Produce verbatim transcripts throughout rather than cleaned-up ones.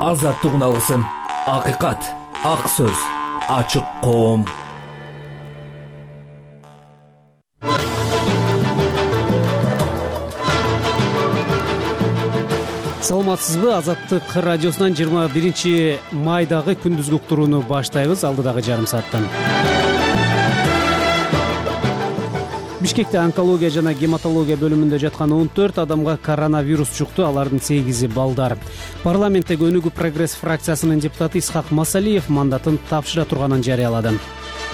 азаттык алгысым, акыйкат, ак сөз, ачык коом. Саламатсызбы? Азаттык радиосунан жыйырма биринчи майдагы күндүзгү уктурууну баштайбыз. Алдыдагы жарым сааттан. Бишкекте онкология жана гематология бөлүмүндө жаткан он төрт адамга коронавирус жукту, алардын сегизи балдар. Парламенттеги Өнүгүү прогресс фракциясынын депутаты Исхак Масалиев мандатын тапшыра турганын жарыялады.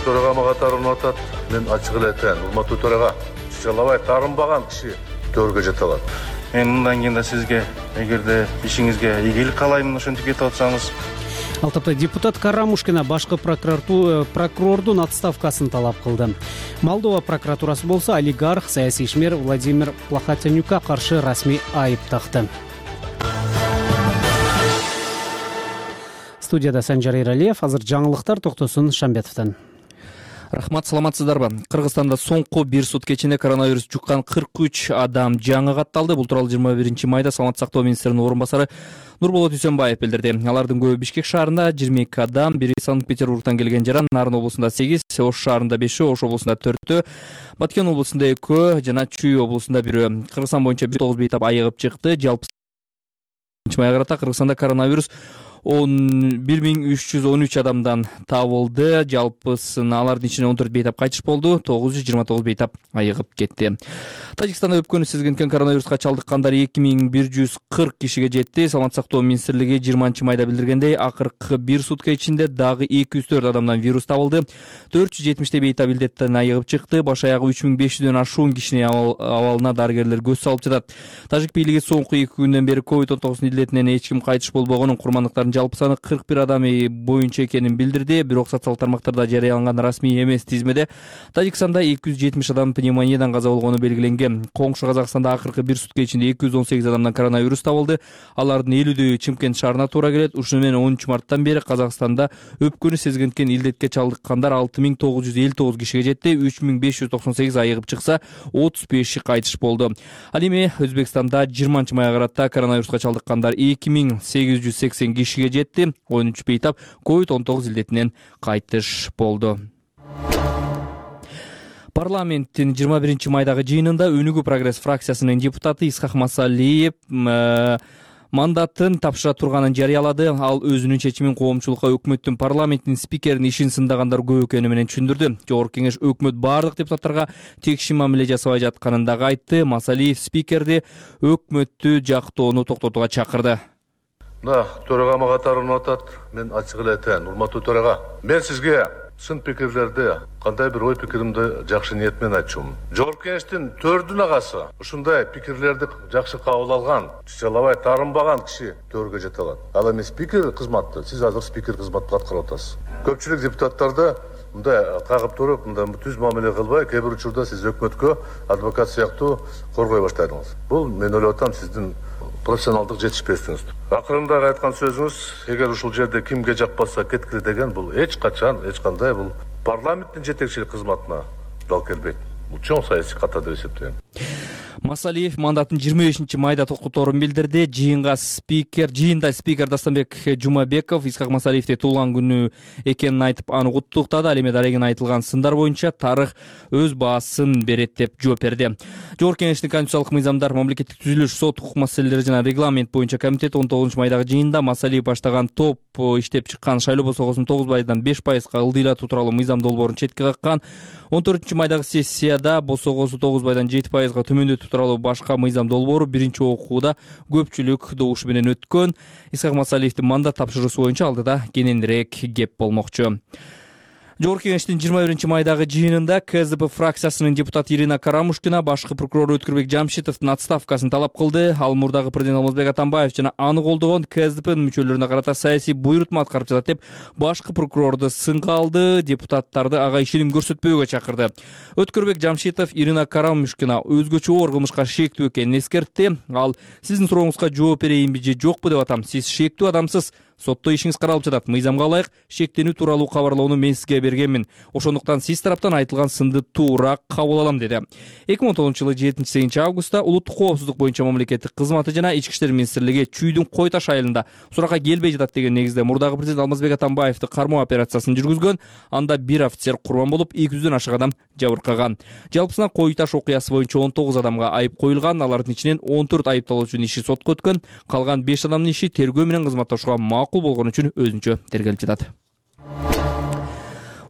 Төрага катарын атат, мен ачык эле айтайын, урматтуу төрага, чычалабай таарынбаган киши төрөгө жете алат. Мен мындан кийин да сизге, эгерде ишиңизге ийгилик каалайм, ошентип кетип атсаңыз. Ал тапта депутат Карамушкина башкы прокурордун отставкасын талап кылды. Молдова прокуратурасы болсо олигарх, саясий ишмер Владимир Плахотенюкка каршы расмий айып такты. Студияда Санжар Эралиев, азыр жаңылыктар Токтосун Шамбетовдон. Рахмат, саламатсыздарбы? Кыргызстанда соңку бир сутка ичинде коронавирус жуккан кырк үч адам жаңы катталды. Бул тууралуу жыйырма биринчи майда Саламаттык сактоо министринин орун басары Нурболот Үсөнбаев билдирди. Алардын көбү Бишкек шаарында жыйырма эки адам, бири Санкт-Петербургтан келген жара, Нарын облусунда сегиз, Ош шаарында бешөө, Ош облусунда төртөө, Баткен облусунда экөө жана Чүй облусунда бирөө. Кыргызстан боюнча бир тогуз бейтап айыгып чыкты. Жалпы майга карата Кыргызстанда коронавирус бир миң үч жүз он үч адамдан табылды. Жалпысын алардын ичинен он төрт бейтап кайтыш болду, тогуз жүз жыйырма тогуз бейтап айыгып кетти. Тажикстанда өпкөнү сезгенкен коронавируска чалдыккандар эки миң бир жүз кырк кишиге жетти. Саламаттык сактоо министрлиги жыйырманчы майда билдиргендей, акыркы бир сутка ичинде дагы эки жүз төрт адамдан вирус табылды. төрт жүз жетимиштей бейтап илдеттен айыгып чыкты. Баш аягы үч миң беш жүздөн ашуун кишинин абалына дарыгерлер көз салып жатат. Тажик бийлиги соңку эки күндөн бери ковид он тогуз илдетинен эч ким кайтыш болбогонун, курмандыктардын жалпы саны кырк бир адам боюнча экенин билдирди. Бирок социалдык тармактарда жарыяланган расмий эмес тизмеде Тажикстанда эки жүз жетимиш адам пневмониядан каза болгону белгиленген. Коңшу Казакстанда акыркы бир сутка ичинде эки жүз он сегиз адамдан коронавирус табылды. Алардын элүүдөйү Чымкент шаарына туура келет. Ушуну менен онунчу марттан бери Казакстанда өпкөнү сезгенкен илдетке чалдыккандар алты миң тогуз жүз элүү тогуз кишиге жетти. үч миң беш жүз токсон сегиз айыгып чыкса, отуз беши кайтыш болду. Ал эми Өзбекстанда жыйырманчы майга карата коронавируска чалдыккандар эки миң сегиз жүз сексен кишиге жетти. он үч бейтап ковид он тогуз илдетинен кайтыш болду. Парламенттин жыйырма биринчи майдагы жыйынында Өнүгүү прогресс фракциясынын депутаты Исхак Масалиев мандатын тапшыра турганын жарыялады. Ал өзүнүн чечимин коомчулукка өкмөттүн парламенттин спикеринин ишин сындагандар көп экени менен түшүндүрдү. Жогорку кеңеш өкмөт бардык депутаттарга текши мамиле жасабай жатканын дагы айтты. Масалиев спикерди өкмөттү жактоону токтотууга чакырды. Да, төрага катарын атат, мен ачык эле айтайын, урматтуу төрага. Мен сизге сын пикирлерди, кандай бир ой пикиримди жакшы ниет менен айтчумун. Жогорку кеңештин төрдүн агасы ушундай пикирлерди жакшы кабыл алган, чычалабай таарынбаган киши төргө жете алат. Ал эми спикер кызматты, сиз азыр спикер кызматын аткарып атасыз. Көпчүлүк депутаттарды мындай кагып туруп, мындай түз мамиле кылбай, кээ бир учурда сиз өкмөткө адвокат сыяктуу коргой баштадыңыз. Бул мен ойлоп атам сиздин профессионалдык жетишпестигиз. Акырында айткан сөзүңүз, эгер ушул жерде кимге жакпаса кеткиле деген, бул эч качан, эч кандай бул парламенттин жетекчилик кызматына дал келбейт. Бул чоң саясий ката деп эсептейм. Масалиев мандатын жыйырма бешинчи майда токтоторун билдирди. Жыйынга спикер, жыйында спикер Дастанбек Жумабеков Исхак Масалиевди туулган күнү экенин айтып, аны куттуктады. Ал эми дарегин айтылган сындар боюнча тарых өз баасын берет деп жооп берди. Жогорку кеңештин конституциялык мыйзамдар, мамлекеттик түзүлүш, сот укук маселелери жана регламент боюнча комитет он тогузунчу майдагы жыйында Масалиев баштаган топ иштеп чыккан шайлоо босогосун тогуз пайыздан беш пайызга ылдыйлатуу тууралуу мыйзам долбоорун четке каккан. он төртүнчү майдагы сессияда босогосу тогуз пайыздан жети пайызга төмөндөтүү тууралуу башка мыйзам долбоору биринчи окууда көпчүлүк добуш менен өткөн. Исхак Масалиевдин мандат тапшыруусу боюнча алдыда кененирээк кеп болмокчу. Жогорку кеңештин жыйырма биринчи майдагы жыйынында КСДП фракциясынын депутаты Ирина Карамушкина башкы прокурор Өткүрбек Жамшитовдун отставкасын талап кылды. Ал мурдагы президент Алмазбек Атамбаев жана аны колдогон КСДПнын мүчөлөрүнө карата саясий буйрутма аткарып жатат деп башкы прокурорду сынга алды, депутаттарды ага ишеним көрсөтпөөгө чакырды. Өткүрбек Жамшитов Ирина Карамушкина өзгөчө оор кылмышка шектүү экенин эскертти. Ал сиздин сурооңузга жооп берейинби же жокпу деп атам. Сиз шектүү адамсыз, сотто ишиңиз каралып жатат. Мыйзамга ылайык шектенүү тууралуу кабарлоону мен сизге бергенмин. Ошондуктан сиз тараптан айтылган сынды туура кабыл алам, деди. эки миң он тогузунчу жылы жетинчи сегизинчи августта улуттук коопсуздук боюнча мамлекеттик кызматы жана ички иштер министрлиги Чүйдүн Кой Таш айылында суракка келбей жатат деген негизде мурдагы президент Алмазбек Атамбаевди кармоо операциясын жүргүзгөн. Анда бир офицер курман болуп, эки жүздөн ашык адам жабыркаган. Жалпысынан Кой Таш окуясы боюнча он тогуз адамга айып коюлган. Алардын ичинен он төрт айыпталуучунун иши сотко өткөн. Калган беш адамдын иши тергөө менен кызматташууга макул болгон үчүн өзүнчө тергелип жатат.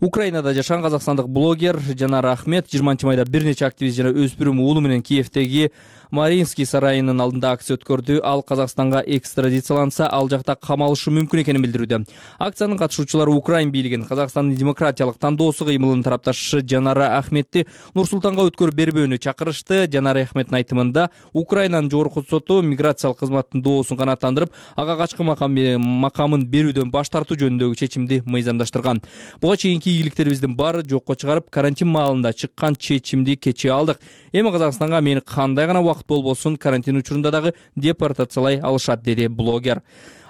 Украинада жашаган казакстандык блогер Жанара Ахмет жыйырманчы майда бир нече активист жана өспүрүм уулу менен Киевдеги Маринский сарайынын алдында акция өткөрдү. Ал Казакстанга экстрадицияланса, ал жакта камалышы мүмкүн экенин билдирүүдө. Акциянын катышуучулары Украин бийлигин, Казакстандын демократиялык тандоосу кыймылынын тарапташы Жанара Ахметти Нур-Султанга өткөрүп бербөөнү чакырышты. Жанара Ахметтин айтымында Украинанын жогорку соту миграциялык кызматтын доосун канааттандырып, ага качкы макамын берүүдөн баш тартуу жөнүндөгү чечимди мыйзамдаштырган. Буга чейинки ийгиликтерибиздин баары жокко чыгарып, карантин маалында чыккан чечимди кече алдык. Эми Казакстанга мени кандай гана убакыт болбосун карантин учурунда дагы депортациялай алышат, деди блогер.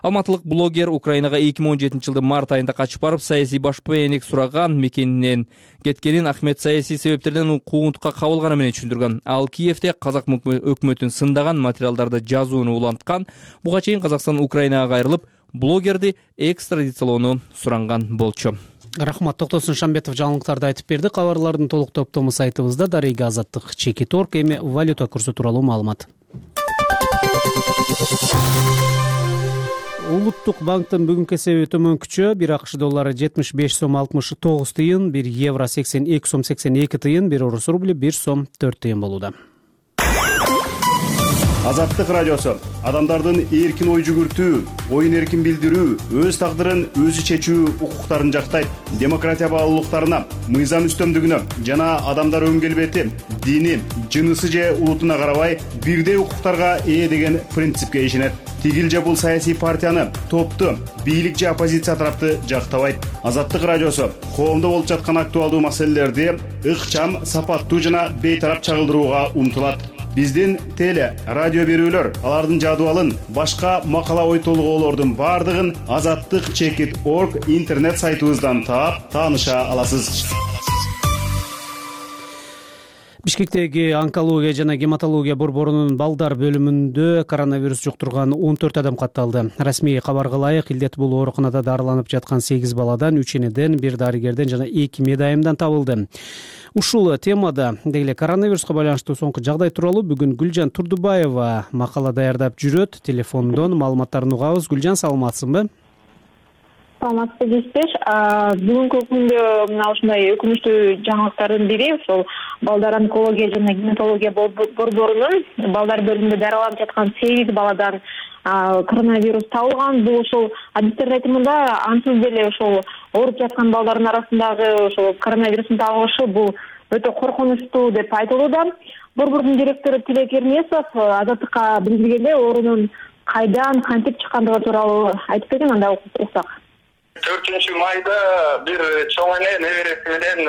Алматылык блогер Украинага эки миң он жетинчи жылдын март айында качып барып, саясий башпаенек сураган, мекенинен кеткенин Ахмет саясий себептерден куугунтукка кабылганы менен түшүндүргөн. Ал Киевде казак өкмөтүн сындаган материалдарды жазууну уланткан. Буга чейин Казакстан Украинага кайрылып, блогерди экстрадициялоону суранган болчу. Рахмат. Токтосун Шамбетов жаңылыктарды айтып берди. Кабарлардын толук топтому сайтыбызда Дарыга Азаттык чекит орг. Эми валюта курсу тууралуу маалымат. Улуттук банктын бүгүнкү эсеби төмөнкүчө. Бир акш доллары жетимиш беш сом алтымыш тогуз тыйын, бир евро сексен эки сом сексен эки тыйын, бир орус рубли бир сом төрт тыйын болууда. Азаттык радиосу адамдардын эркин ой жүгүртүү, оюн эркин билдирүү, өз тагдырын өзү чечүү укуктарын жактайт. Демократия баалуулуктарына, мыйзам үстөмдүгүнө жана адамдар өн келбети, дини, жынысы же улутуна карабай бирдей укуктарга ээ деген принципке ишенет. Тигил же бул саясий партияны, топту, бийлик же оппозиция тарапты жактабайт. Азаттык радиосу коомдо болуп жаткан актуалдуу маселелерди ыкчам, сапаттуу жана бейтарап чагылдырууга умтулат. Биздин теле, радио берүүлөр, алардын жадыбалын, башка макала ой толгоолордун бардыгын азаттык чекит орг интернет сайтыбыздан таап, тааныша аласыз. Бишкектеги онкология жана гематология борборунун балдар бөлүмүндө коронавирус жуктурган он төрт адам катталды. Расмий кабарга ылайык, илдет бул ооруканада дарыланып жаткан сегиз баладан, үч энеден, бир дарыгерден жана эки медайымдан табылды. Ушул темада деги коронавируска байланыштуу соңку жагдай тууралуу бүгүн Гүлжан Турдубаева макала даярдап жүрөт. Телефондон маалыматтарын угабыз. Гүлжан, саламатсыңбы? Саламатсыз дейсиз. Бүгүнкү күндө мына ушундай өкүнүчтүү жаңылыктардын бири ошол балдар онкология жана гематология борборунун балдар бөлүмүндө дарыланып жаткан сегиз баладан коронавирус табылган. Бул ошол адистердин айтымында ансыз деле ошол ооруп жаткан балдардын арасындагы ошол коронавирустун табылышы бул өтө коркунучтуу деп айтылууда. Борбордун директору Тилек Эрмесов Азаттыкка билдиргенде оорунун кайдан, кантип чыккандыгы тууралуу айтып берген, анда уксак. төртүнчү майда бир чоң эне небереси менен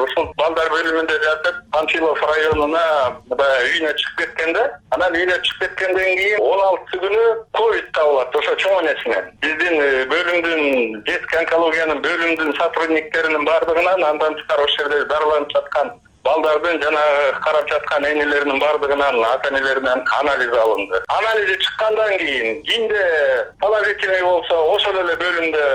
ушул балдар бөлүмүндө жатып, Панфилов районуна үйүнө чыгып кеткен да. Анан үйүнө чыгып кеткенден кийин он алтысы күнү ковид табылат ошо чоң энесине. Биздин бөлүмдүн, детский онкологиянын бөлүмдүн сотрудниктеринин бардыгынан, андан тышкары ошол жерде дарыланып жаткан балдардын жана карап жаткан энелеринин бардыгынан, ата энелеринен анализ алынды. Анализи чыккандан кийин кимде положительный болсо, ошол эле бөлүмдө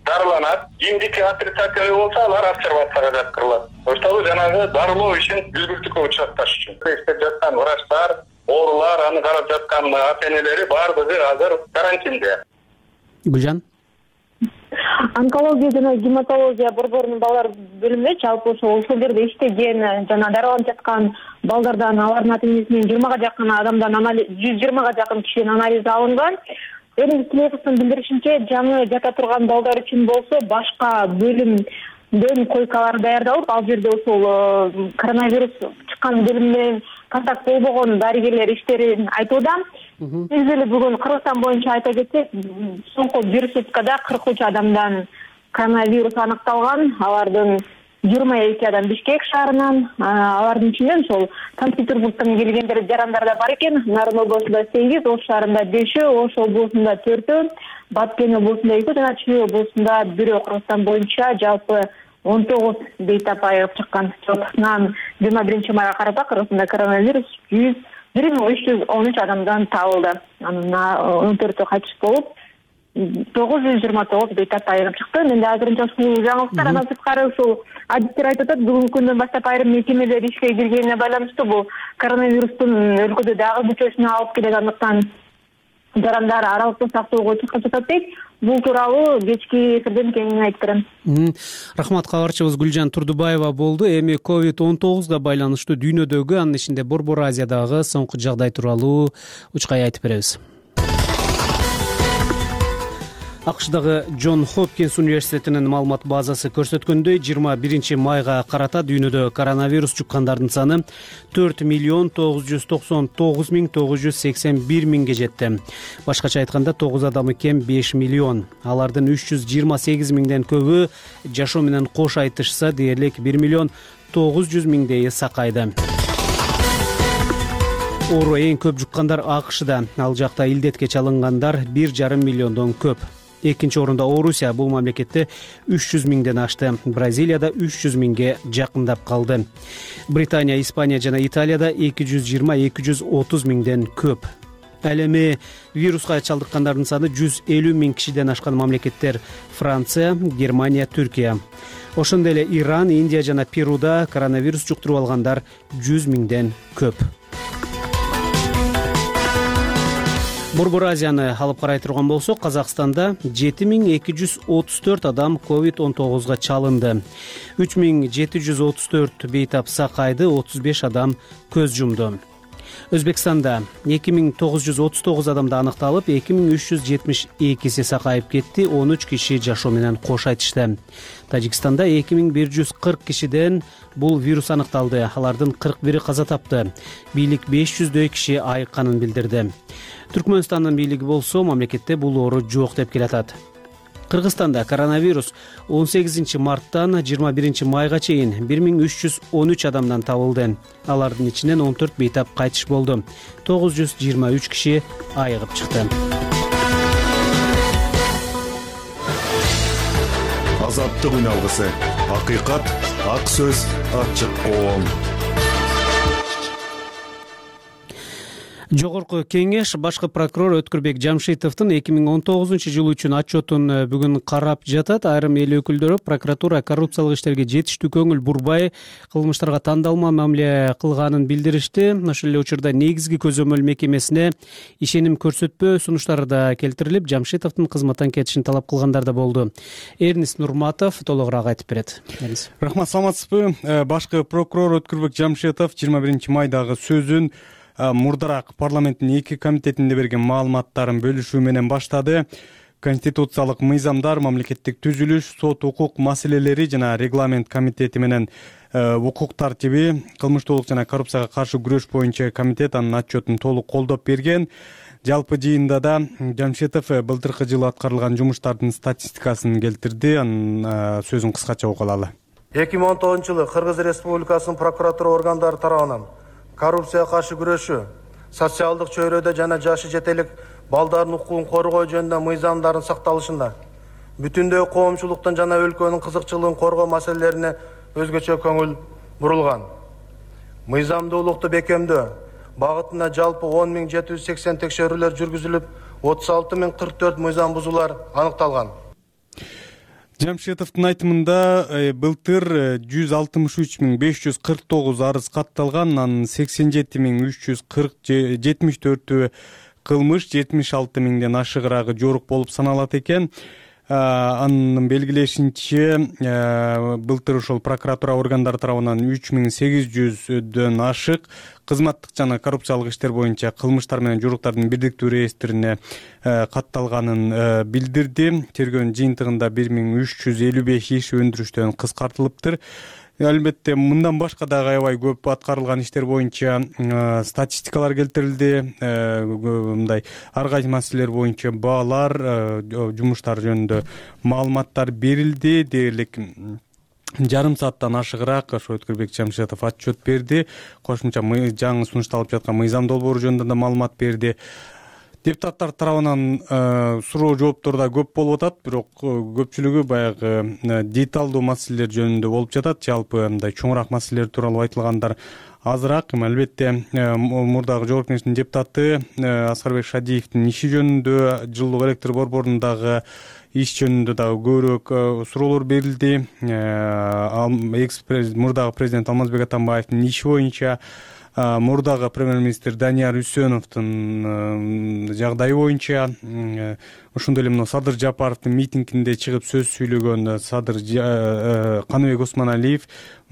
дарыланат. Кимдики отрицательный болсо, алар обсервацияга жаткырылат. Ошол жанагы дарылоо ишин үзгүлтүккө учуратташ үчүн. Иштеп жаткан врачтар, оорулар, аны карап жаткан ата энелери бардыгы азыр карантинде. Гүлжан, онкология жана гематология борборунун балдар бөлүмүндө жалпы ошол ошол жерде иштеген жана дарыланып жаткан балдардан, алардын ата энесинен жыйырмага жакын адамдан анализ, жүз жыйырмага жакын кишиден анализ алынган. Эрмис Тилеповдун билдиришинче, жаңы жата турган балдар үчүн болсо башка бөлүмдөн койкалар даярдалып, ал жерде ошол коронавирус чыккан бөлүм менен контакт болбогон дарыгерлер иштерин айтууда. Биз деле бүгүн Кыргызстан боюнча айта кетсек, соңку бир суткада кырк үч адамдан коронавирус аныкталган. Алардын жыйырма эки адам Бишкек шаарынан, алардын ичинен ошол Санкт-Петербургтан келгендер жарандар да бар экен. Нарын облусунда сегиз, Ош шаарында бешөө, Ош облусунда төртөө, Баткен облусунда экөө жана Чүй облусунда бирөө. Кыргызстан боюнча жалпы он тогуз бейтап айыгып чыккан. Жалпысынан жыйырма биринчи майга карата Кыргызстанда коронавирус жүз бир миң үч жүз он үч адамдан табылды. Анын он төртөө кайтыш болуп, тогуз жүз жыйырма тогуз бейтап айыгып чыкты. Менде азырынча ушул жаңылыктар. Андан сырткары ушул адистер айтып атат, бүгүнкү күндөн баштап айрым мекемелер ишке киргенине байланыштуу бул коронавирустун өлкөдө дагы күчөшүнө алып келгендиктан жарандар аралыкты сактоого чыгып жатат дейт. Бул тууралуу кечки эфирден кеңири айтып берем. Рахмат, кабарчыбыз Гүлжан Турдубаева болду. Эми ковид он тогузга байланыштуу дүйнөдөгү, анын ичинде Борбор Азиядагы соңку жагдай тууралуу учкай айтып беребиз. АКШдагы Джон Хопкинс университетинин маалымат базасы көрсөткөндөй, жыйырма биринчи майга карата дүйнөдө коронавирус жуккандардын саны төрт миллион тогуз жүз токсон тогуз миң тогуз жүз сексен бир миңге жетти. Башкача айтканда тогуз адамы кем беш миллион. Алардын үч жүз жыйырма сегиз миңден көбү жашоо менен кош айтышса, дээрлик бир миллион тогуз жүз миңдейи сакайды. Оору эң көп жуккандар АКШда. Ал жакта илдетке чалынгандар бир жарым миллиондон көп. Экинчи орунда Орусия, бул мамлекетте үч жүз миңден ашты. Бразилияда үч жүз миңге жакындап калды. Британия, Испания жана Италияда эки жүз жыйырма эки жүз отуз миңден көп. Ал эми вируска чалдыккандардын саны жүз элүү миң кишиден ашкан мамлекеттер Франция, Германия, Түркия. Ошондой эле Иран, Индия жана Перуда коронавирус жуктуруп алгандар жүз миңден көп. Борбор Азияны алып карай турган болсок, Казакстанда жети миң эки жүз отуз төрт адам ковид он тогузга чалынды. үч миң жети жүз отуз төрт бейтап сакайды, отуз беш адам көз жумду. Өзбекстанда эки миң тогуз жүз отуз тогуз адамда аныкталып, эки миң үч жүз жетимиш экиси сакайып кетти, он үч киши жашоо менен кош айтышты. Тажикстанда эки миң бир жүз кырк кишиден бул вирус аныкталды. Алардын кырк бири каза тапты. Бийлик беш жүздөй киши айыкканын билдирди. Түркмөнстандын бийлиги болсо, мамлекетте бул оору жок деп келатат. Кыргызстанда коронавирус он сегизинчи марттан жыйырма биринчи майга чейин бир миң үч жүз он үч адамдан табылды. Алардын ичинен он төрт бейтап кайтыш болду. тогуз жүз жыйырма үч киши айыгып чыкты. Азаттык үн алгысы. Акыйкат, ак сөз, ачык коом. Жогорку кеңеш башкы прокурор Өткүрбек Жамшитовдун эки миң он тогузунчу жыл үчүн отчетун бүгүн карап жатат. Айрым эл өкүлдөрү прокуратура коррупциялык иштерге жетиштүү көңүл бурбай, кылмыштарга тандалма мамиле кылганын билдиришти. Ошол эле учурда негизги көзөмөл мекемесине ишеним көрсөтпөө сунуштары да келтирилип, Жамшитовдун кызматтан кетишин талап кылгандар да болду. Эрнис Нурматов толугураак айтып берет. Рахмат, саламатсызбы? Башкы прокурор Өткүрбек Жамшитов жыйырма биринчи майдагы сөзүн мурдараак парламенттин эки комитетинде берген маалыматтарын бөлүшүү менен баштады. Конституциялык мыйзамдар, мамлекеттик түзүлүш, сот укук маселелери жана регламент комитети менен укук тартиби, кылмыштуулук жана коррупцияга каршы күрөш боюнча комитет анын отчетун толук колдоп берген. Жалпы жыйында да Жамшитов былтыркы жылы аткарылган жумуштардын статистикасын келтирди. Анын сөзүн кыскача угуп алалы. эки миң он тогузунчу жылы Кыргыз Республикасынын прокуратура органдары тарабынан коррупцияга каршы күрөшүү, социалдык чөйрөдө жана жашы жетелик балдардын укугун коргоо жөнүндө мыйзамдардын сакталышында бүтүндөй коомчулуктун жана өлкөнүн кызыкчылыгын коргоо маселелерине өзгөчө көңүл бурулган. Мыйзамдуулукту бекемдөө багытында жалпы он миң жети жүз сексен текшерүүлөр жүргүзүлүп, отуз алты миң кырк төрт мыйзам бузуулар аныкталган. Жамшитовдун айтымында былтыр жүз алтымыш үч миң беш жүз кырк тогуз арыз катталган, анын сексен жети миң үч жүз жетимиш төртү кылмыш, жетимиш алты миңден ашыгыраагы жорук болуп саналат экен. Анын белгилешинче, былтыр ошол прокуратура органдары тарабынан үч миң сегиз жүздөн ашык кызматтык жана коррупциялык иштер боюнча кылмыштар менен жоруктардын бирдиктүү реестрине катталганын билдирди. Тергөөнүн жыйынтыгында бир миң үч жүз элүү беш иш өндүрүштөн кыскартылыптыр. Албетте мындан башка дагы аябай көп аткарылган иштер боюнча статистикалар келтирилди. Мындай ар кайсы маселелер боюнча баалар, жумуштар жөнүндө маалыматтар берилди. Дээрлик жарым сааттан ашыгыраак ошо Өткүрбек Жамшитов отчет берди. Кошумча жаңы сунушталып жаткан мыйзам долбоору жөнүндө да маалымат берди. Депутаттар тарабынан суроо жооптор да көп болуп атат, бирок көпчүлүгү баягы деталдуу маселелер жөнүндө болуп жатат. Жалпы мындай чоңураак маселелер тууралуу айтылгандар азыраак. Албетте мурдагы жогорку кеңештин депутаты Аскарбек Шадиевдин иши жөнүндө, жылуулук электр борборундагы иш жөнүндө дагы көбүрөөк суроолор берилди. Мурдагы президент Алмазбек Атамбаевдин иши боюнча, мурдагы премьер-министр Данияр Үсөновдун жагдайы боюнча, ошондой эле мына Садыр Жапаровдун митингинде чыгып сөз сүйлөгөн Садыр Каныбек Осмоналиев,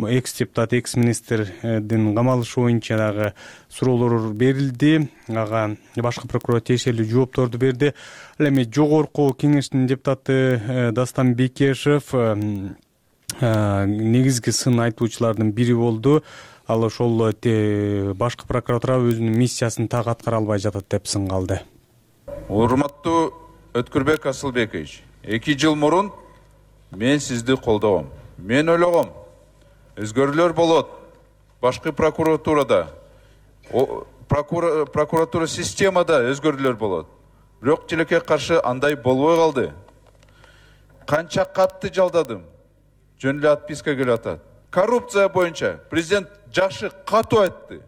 экс депутат, экс министрдин камалышы боюнча дагы суроолор берилди. Ага башкы прокурор тиешелүү жоопторду берди. Ал эми жогорку кеңештин депутаты Дастан Бекешев негизги сын айтуучулардын бири болду. Ал ошол башкы прокуратура өзүнүн миссиясын так аткара албай жатат деп сын калды. Урматтуу Өткүрбек Асылбекович, эки жыл мурун мен сизди колдогом. Мен ойлогом, өзгөрүүлөр болот. Башкы прокуратурада, прокуратура системада өзгөрүүлөр болот. Бирок тилекке каршы андай болбой калды. Канча катты жалдадым. Жөн эле отписка келип атат. Коррупция боюнча президент жакшы катуу айтты.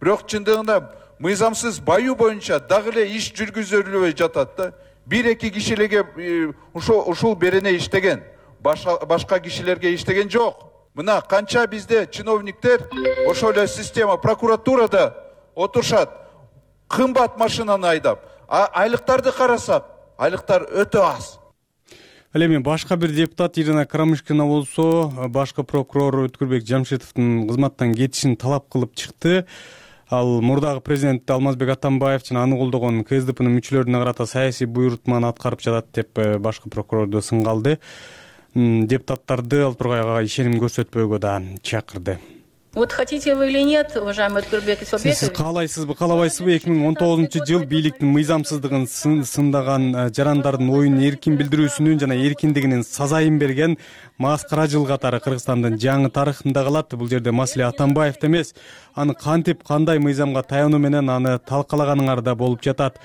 Бирок чындыгында мыйзамсыз баюу боюнча дагы эле иш жүргүзүлбөй жатат да. Бир-эки кишилерге ушул ушул берене иштеген, башка кишилерге иштеген жок. Мына канча бизде чиновниктер ошол эле система прокуратурада отурушат, кымбат машинаны айдап, а айлыктарды карасак, айлыктар өтө аз. Ал эми башка бир депутат Ирина Карамышкина болсо, башкы прокурор Өткүрбек Жамшитовдун кызматтан кетишин талап кылып чыкты. Ал мурдагы президент Алмазбек Атамбаев жана аны колдогон КСДПнын мүчөлөрүнө карата саясий буйрутманы аткарып жатат деп башкы прокурорду сынгалды. Депутаттарды ал тургай ишеним көрсөтпөөгө да чакырды. Вот хотите вы или нет, уважаемый Өткүрбек Исабекович? Сиз каалайсызбы, каалабайсызбы? эки миң он тогузунчу жыл бийликтин мыйзамсыздыгын сындаган жарандардын оюн эркин билдирүүсүнүн жана эркиндигинин сазайын берген маскара жыл катары Кыргызстандын жаңы тарыхында калат. Бул жерде маселе Атамбаевде эмес, аны кантип кандай мыйзамга таянуу менен аны талкалаганыңарда болуп жатат.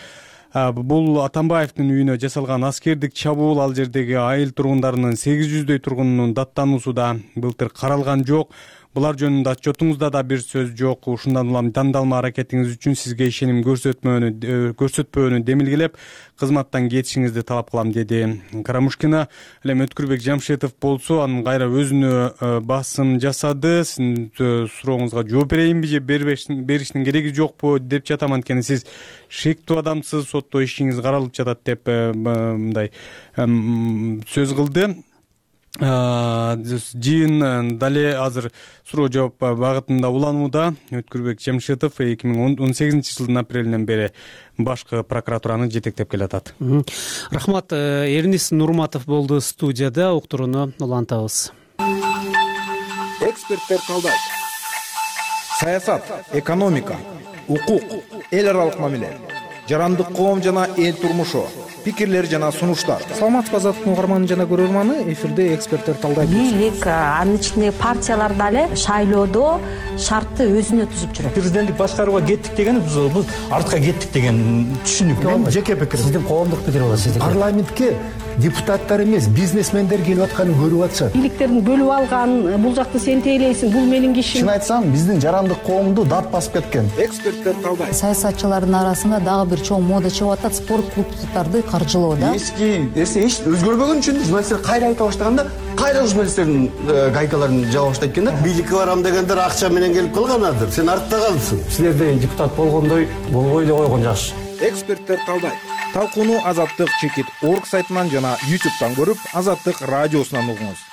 Бул Атамбаевдин үйүнө жасалган аскердик чабуул, ал жердеги айыл тургундарынын сегиз жүздөй тургунунун даттануусу да былтыр каралган жок. Булар жөнүндө отчетуңузда да бир сөз жок. Ушундан улам тандалма аракетиңиз үчүн сизге ишеним көрсөтмөөнү көрсөтпөөнү демилгелеп, кызматтан кетишиңизди талап кылам, деди Карамушкина. Ал эми Өткүрбек Жамшитов болсо, анын кайра өзүнө басым жасады. Сиздин сурооңузга жооп берейинби же бериштин кереги жокпу деп жатам. Анткени сиз шектүү адамсыз, сотто ишиңиз каралып жатат деп мындай сөз кылды. Жыйын дале азыр суроо жооп багытында уланууда. Өткүрбек Жамшитов эки миң он сегизинчи жылдын апрелинен бери башкы прокуратураны жетектеп келатат. Рахмат. Эрнис Нурматов болду студияда. Уктурууну улантабыз. Эксперттер талдайт. Саясат, экономика, укук, эл аралык мамиле, жарандык коом жана эл турмушу, пикирлер жана сунуштар. Саламатсызбы азаттык угарманы жана көрөрманы, эфирде эксперттер талдайт. Бийлик, анын ичинде партиялар дале шайлоодо шартты өзүнө түзүп жүрөт. Президенттик башкарууга кеттик деген биз артка кеттик деген түшүнүк. Менин жеке пикирим. Сиздин коомдук пикир болот, сиздики. Парламентке депутаттар эмес, бизнесмендер келип атканын көрүп атышат. Бийликтердин бөлүп алган, бул жакты сен тейлейсиң, бул менин кишим. Чын айтсам, биздин жарандык коомду дат басып кеткен. Эксперттер талдайт. Саясатчылардын арасында дагы бир чоң мода чыгып атат, спорт клубдарды каржылоо да. Эски эсе эч өзгөрбөгөн үчүн журналисттер кайра айта баштаганда, кайра журналисттердин гайкаларын жаба баштайт экен да. Бийликке барам дегендер акча менен келип калганадыр. Сен артта калдың. Силерде депутат болгондой болбой эле койгон жакшы. Эксперттер талдайт. Талкууну Азаттык чекит орг сайтынан жана ютубтан көрүп, Азаттык радиосунан угуңуз.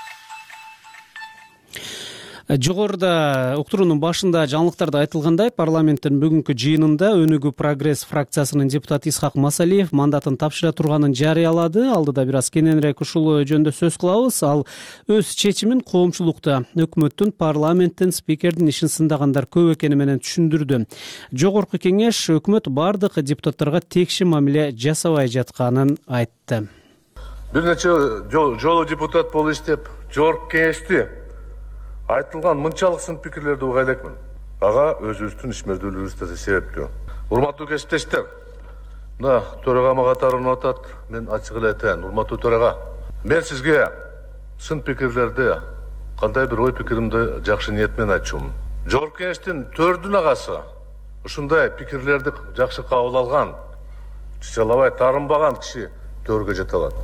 Жогоруда уктуруунун башында жаңылыктарда айтылгандай, парламенттин бүгүнкү жыйынында Өнүгүү прогресс фракциясынын депутаты Исхак Масалиев мандатын тапшыра турганын жарыялады. Алдыда бир аз кененирээк ушул жөнүндө сөз кылабыз. Ал өз чечимин коомчулукта өкмөттүн, парламенттин, спикердин ишин сындагандар көп экени менен түшүндүрдү. Жогорку кеңеш өкмөт бардык депутаттарга текши мамиле жасабай жатканын айтты. Бир нече жолу депутат болуп иштеп, жогорку кеңешти айтылган мынчалык сын пикирлерди уга элекмин. Ага өзүбүздүн ишмердүүлүгүбүз да себептүү. Урматтуу кесиптештер, мына төрагама катарынан атат, мен ачык эле айтайын, урматтуу төрага. Мен сизге сын пикирлерди, кандай бир ой пикиримди жакшы ниет менен айтчумун. Жогорку кеңештин төрдүн агасы ушундай пикирлерди жакшы кабыл алган, чычалабай таарынбаган киши төргө жете алат.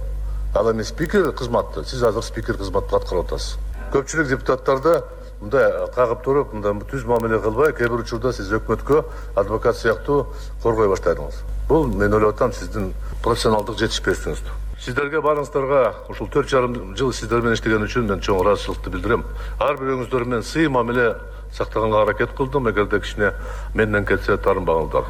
Ал эми спикер кызматты, сиз азыр спикер кызматты аткарып атасыз. Көпчүлүк депутаттарды мындай кагып туруп, мындай түз мамиле кылбай, кээ бир учурда сиз өкмөткө адвокат сыяктуу коргой баштадыңыз. Бул мен ойлоп атам сиздин профессионалдык жетишпестигиңиз. Сиздерге барыңыздарга ушул төрт жарым жыл сиздер менен иштеген үчүн мен чоң ыраазычылыкты билдирем. Ар бирөөңүздөр менен сый мамиле сактаганга аракет кылдым, эгерде кичине менден кетсе таарынбаңыздар.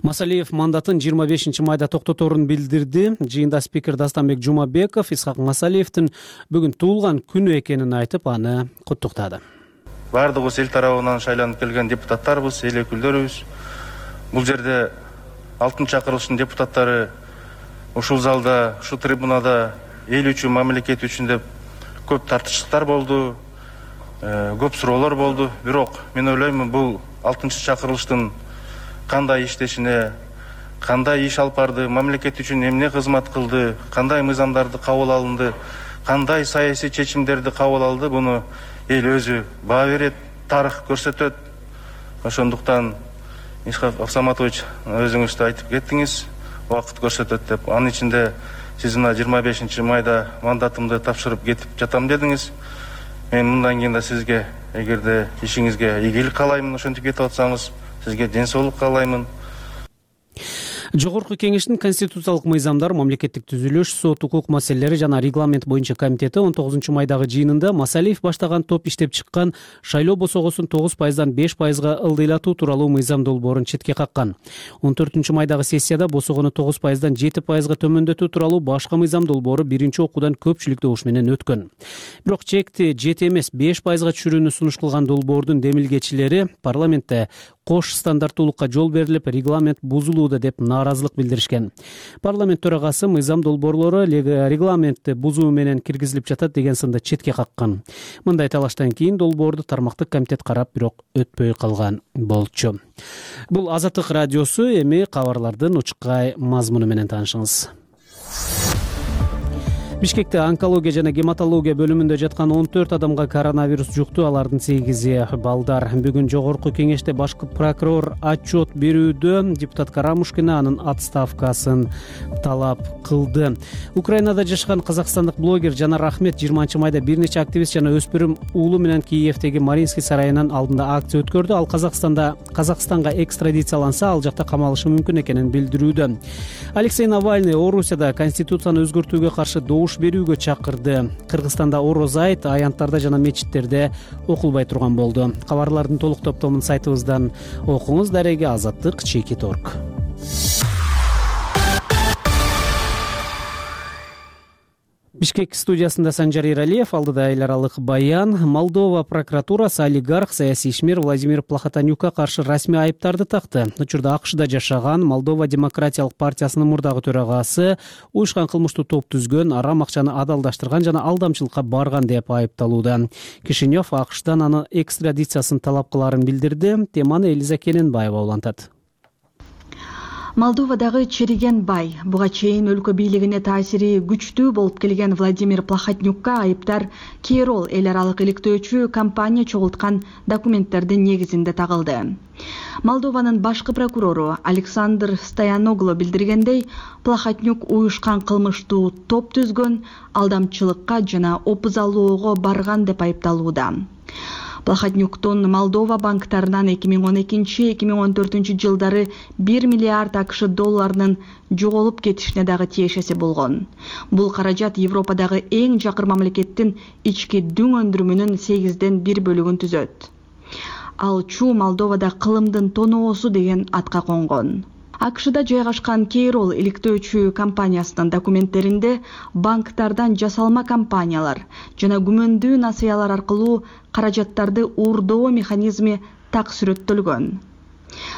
Масалиев мандатын жыйырма бешинчи майда токтоторун билдирди. Жыйында спикер Дастанбек Жумабеков Исхак Масалиевдин бүгүн туулган күнү экенин айтып, аны куттуктады. Бардыгыбыз эл тарабынан шайланып келген депутаттарбыз, эл өкүлдөрүбүз. Бул жерде алтын чакырылыштын депутаттары ушул залда, ушул трибунада эл үчүн, мамлекет үчүн деп көп тартыштыктар болду, көп суроолор болду. Бирок мен ойлойм, бул алтынчы чакырылыштын кандай иштешине, кандай иш алып барды, мамлекет үчүн эмне кызмат кылды, кандай мыйзамдарды кабыл алынды, кандай саясий чечимдерди кабыл алды, буну эл өзү баа берет, тарых көрсөтөт. Ошондуктан Исхак Аксаматович, өзүңүз да айтып кеттиңиз, убакыт көрсөтөт деп. Анын ичинде сиз мына жыйырма бешинчи майда мандатымды тапшырып кетип жатам дедиңиз. Мен мындан кийин да сизге, эгерде ишиңизге ийгилик каалаймын, ошентип кетип атсаңыз, сизге ден соолук каалаймын. Жогорку кеңештин конституциялык мыйзамдар, мамлекеттик түзүлүш, сот, укук маселелери жана регламент боюнча комитети он тогузунчу майдагы жыйынында Масалиев баштаган топ иштеп чыккан шайлоо босогосун тогуз пайыздан беш пайызга ылдыйлатуу тууралуу мыйзам долбоорун четке каккан. он төртүнчү майдагы сессияда босогону тогуз пайыздан жети пайызга төмөндөтүү тууралуу башка мыйзам долбоору биринчи окуудан көпчүлүк добуш менен өткөн. Бирок чекти жети эмес беш пайызга түшүрүүнү сунуш кылган долбоордун демилгечилери парламентте кош стандарттуулукка жол берилип, регламент бузулууда деп нааразылык билдиришкен. Парламент төрагасы мыйзам долбоорлору регламентти бузуу менен киргизилип жатат деген сынды четке каккан. Мындай талаштан кийин долбоорду тармактык комитет карап, бирок өтпөй калган болчу. Бул Азаттык радиосу, эми кабарлардын учкай мазмуну менен таанышыңыз. Бишкекте онкология жана гематология бөлүмүндө жаткан он төрт адамга коронавирус жукту, алардын сегизи балдар. Бүгүн жогорку кеңеште башкы прокурор отчет берүүдө депутат Карамушкина анын отставкасын талап кылды. Украинада жашаган казакстандык блогер Жанар Ахмет жыйырманчы майда бир нече активист жана өспүрүм уулу менен Киевдеги Маринский сарайынын алдында акция өткөрдү. Ал Казакстанда Казакстанга экстрадицияланса, ал жакта камалышы мүмкүн экенин билдирүүдө. Алексей Навальный Орусияда конституцияны өзгөртүүгө каршы добуш берүүгө чакырды. Кыргызстанда ороз айт аянттарда жана мечиттерде окулбай турган болду. Кабарлардын толук топтомун сайтыбыздан окуңуз. Дареги Азаттык чекит точка орг. Бишкек студиясында Санжар Иралиев, алдыда эл аралык баян. Молдова прокуратурасы олигарх, саясий ишмер Владимир Плохотанюкка каршы расмий айыптарды такты. Учурда АКШда жашаган Молдова демократиялык партиясынын мурдагы төрагасы уюшкан кылмыштуу топ түзгөн, арам акчаны адалдаштырган жана алдамчылыкка барган деп айыпталууда. Кишинев АКШдан аны экстрадициясын талап кыларын билдирди. Теманы Элиза Кененбаева улантат. Молдовадагы чириген бай, буга чейин өлкө бийлигине таасири күчтүү болуп келген Владимир Плохотнюкка айыптар Кейрол эл аралык иликтөөчү компания чогулткан документтердин негизинде тагылды. Молдованын башкы прокурору Александр Стояноглу билдиргендей, Плохотнюк уюшкан кылмыштуу топ түзгөн, алдамчылыкка жана опузалоого барган деп айыпталууда. Плохотнюктун Молдова банктарынан эки миң он экинчи эки миң он төртүнчү жылдары бир миллиард АКШ долларынын жоголуп кетишине дагы тиешеси болгон. Бул каражат Европадагы эң жакыр мамлекеттин ички дүң өндүрүмүнүн сегизден бир бөлүгүн түзөт. Ал чуу Молдовада кылымдын тоноосу деген атка конгон. АКШда жайгашкан Кейрол иликтөөчү компаниясынын документтеринде банктардан жасалма компаниялар жана күмөндүү насыялар аркылуу каражаттарды уурдоо механизми так сүрөттөлгөн.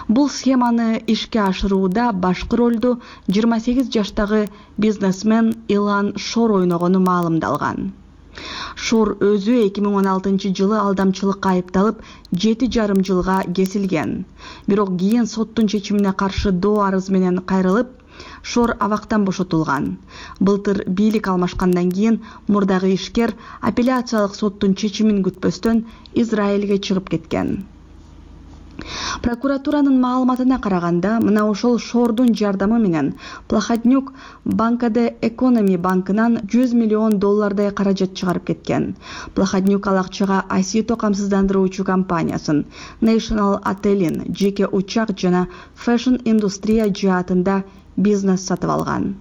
Бул схеманы ишке ашырууда башкы ролду жыйырма сегиз жаштагы бизнесмен Илан Шор ойногону маалымдалган. Шор өзү эки миң он алтынчы жылы алдамчылыкка айыпталып жети жарым жылга кесилген. Бирок кийин соттун чечимине каршы доо арыз менен кайрылып, Шор абактан бошотулган. Былтыр бийлик алмашкандан кийин мурдагы ишкер апелляциялык соттун чечимин күтпөстөн Израилге чыгып кеткен. Прокуратуранын маалыматына караганда, мына ошол Шордун жардамы менен Плохотнюк Банка де Экономи банкынан жүз миллион доллардай каражат чыгарып кеткен. Плохотнюк ал акчага Асито камсыздандыруучу компаниясын, National Отелин, жеке учак жана фэшн индустрия жаатында бизнес сатып алган.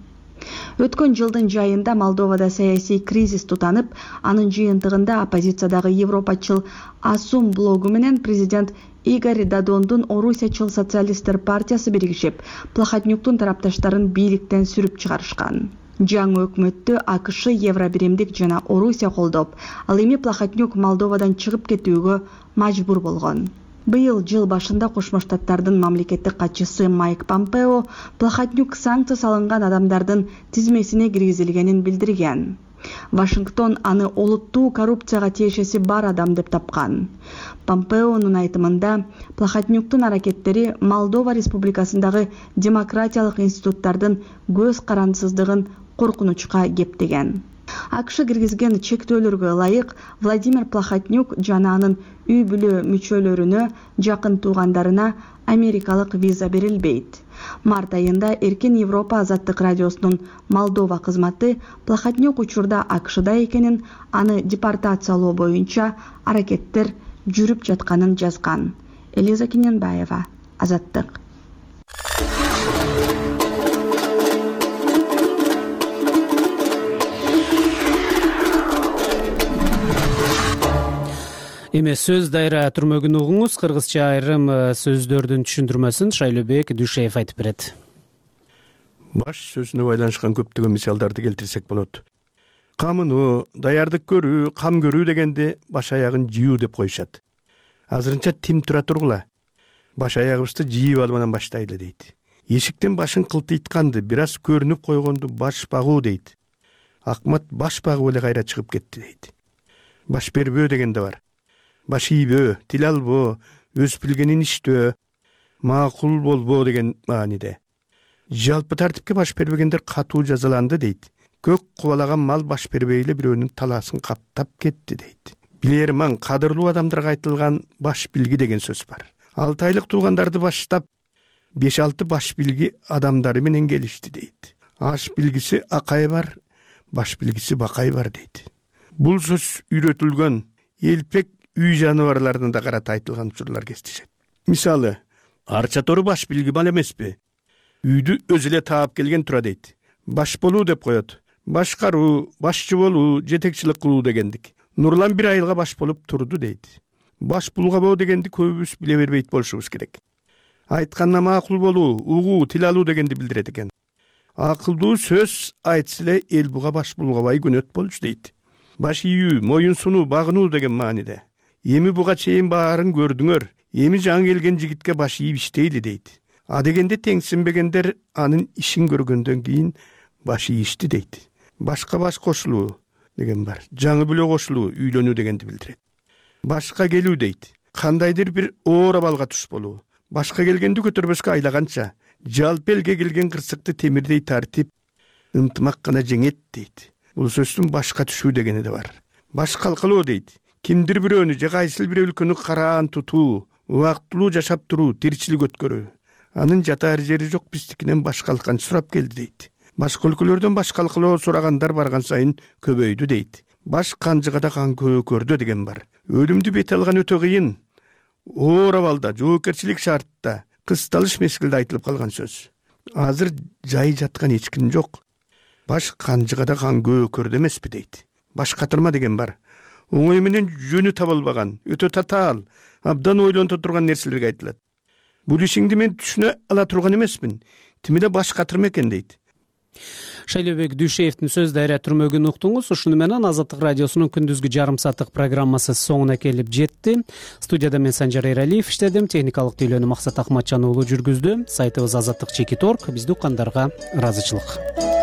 Өткөн жылдын жайында Молдовада саясий кризис тутанып, анын жыйынтыгында оппозициядагы европачыл Асум блогу менен президент Игорь Додондун Орусиячыл социалисттер партиясы биригишип, Плохотнюктун тарапташтарын бийликтен сүрүп чыгарышкан. Жаңы өкмөттү АКШ, Евробиримдик жана Орусия колдоп, ал эми Плохотнюк Молдовадан чыгып кетүүгө мажбур болгон. Быйыл жыл башында Кошмо Штаттардын мамлекеттик катчысы Майк Помпео Плохотнюк санкция салынган адамдардын тизмесине киргизилгенин билдирген. Вашингтон аны олуттуу коррупцияга тиешеси бар адам деп тапкан. Помпеонун айтымында, Плохотнюктун аракеттери Молдова Республикасындагы демократиялык институттардын көз карандысыздыгын коркунучка кептеген. АКШ киргизген чектөөлөргө ылайык Владимир Плохотнюк жана анын үй бүлө мүчөлөрүнө, жакын туугандарына америкалык виза берилбейт. Март айында Эркин Европа азаттык радиосунун Молдова кызматы Плохотнюк учурда АКШда экенин, аны депортациялоо боюнча аракеттер жүрүп жатканын жазган. Элиза Кененбаева, Азаттык. Эми сөз дайра түрмөгүн угуңуз. Кыргызча айрым сөздөрдүн түшүндүрмөсүн Шайлообек Дүйшеев айтып берет. Баш сөзүнө байланышкан көптөгөн мисалдарды келтирсек болот. Камыну, даярдык көрүү, кам көрүү дегенде баш аягын жыйуу деп коюшат. Азырынча тим тура тургула. Баш аягыбызды жыйып алып анан баштайлы дейт. Эшиктен башын кылтыйтканды, бир аз көрүнүп койгонду баш багуу дейт. Акмат баш багып эле кайра чыгып кетти дейт. Баш бербөө деген да бар. Баш ийбөө, тил албоо, өз билгенин иштөө, макул болбоо деген мааниде. Жалпы тартипке баш бербегендер катуу жазаланды дейт. Көк кубалаган мал баш бербей эле бирөөнүн талаасын каптап кетти дейт. Билер маң кадырлуу адамдарга айтылган баш билги деген сөз бар. Алты айлык туугандарды баштап, беш алты баш билги адамдары менен келишти дейт. Аш билгиси акай бар, баш билгиси бакай бар дейт. Бул сөз үйрөтүлгөн элпек үй жаныбарларына да карата айтылган учурлар кездешет. Мисалы, арча тору баш билги мал эмеспи? Үйдү өзү эле таап келген тура дейт. Баш болуу деп коет. Башкаруу, башчы болуу, жетекчилик кылуу дегендик. Нурлан бир айылга баш болуп турду дейт. Баш булгабоо дегенди көбүбүз биле бербейт болушубуз керек. Айтканда макул болуу, угуу, тил алуу дегенди билдирет экен. Акылдуу сөз айтса эле эл буга баш булгабай күнөт болчу дейт. Баш ийүү, моюн сунуу, багынуу деген мааниде. Эми буга чейин баарын көрдүңөр. Эми жаңы келген жигитке баш ийип иштейли дейт. А дегенде теңсинбегендер анын ишин көргөндөн кийин баш ийишти дейт. Башка баш кошулуу деген бар. Жаңы бүлө кошулуу, үйлөнүү дегенди билдирет. Башка келүү дейт. Кандайдыр бир оор абалга туш болуу. Башка келгенди көтөрбөскө айлаганча, жалпы элге келген кырсыкты темирдей тартип, ынтымак гана жеңет дейт. Бул сөздүн башка түшүү дегени да бар. Баш калкалоо дейт. Кимдир бирөөнү же кайсыл бир өлкөнү караан тутуу, убактылуу жашап туруу, тиричилик өткөрүү. Анын жатаар жери жок, биздикинен баш калкан сурап келди дейт. Башка өлкөлөрдөн баш калкалоо сурагандар барган сайын көбөйдү дейт. Баш канжыгада кан көкөрдө деген бар. Өлүмдү бет алган өтө кыйын. Оор абалда, жоопкерчилик шартта, кысталыш мезгилде айтылып калган сөз. Азыр жай жаткан эч ким жок. Баш канжыгада кан көкөрдө эмеспи дейт. Баш катырма деген бар. Оңой менен жөнү табылбаган, өтө татаал, абдан ойлонто турган нерселерге айтылат. Бул ишиңди мен түшүнө ала турган эмесмин. Тимиде баш катырма экен дейт. Шайлообек Дүйшеевдин сөз дайра түрмөгүн уктуңуз. Ушуну менен Азаттык радиосунун күндүзгү жарым сааттык программасы соңуна келип жетти. Студияда мен Санжар Эралиев иштедим. Техникалык тейлөөнү Максат Акматжан уулу жүргүздү. Сайтыбыз азаттык чекит точка орг. Бизди уккандарга ыраазычылык.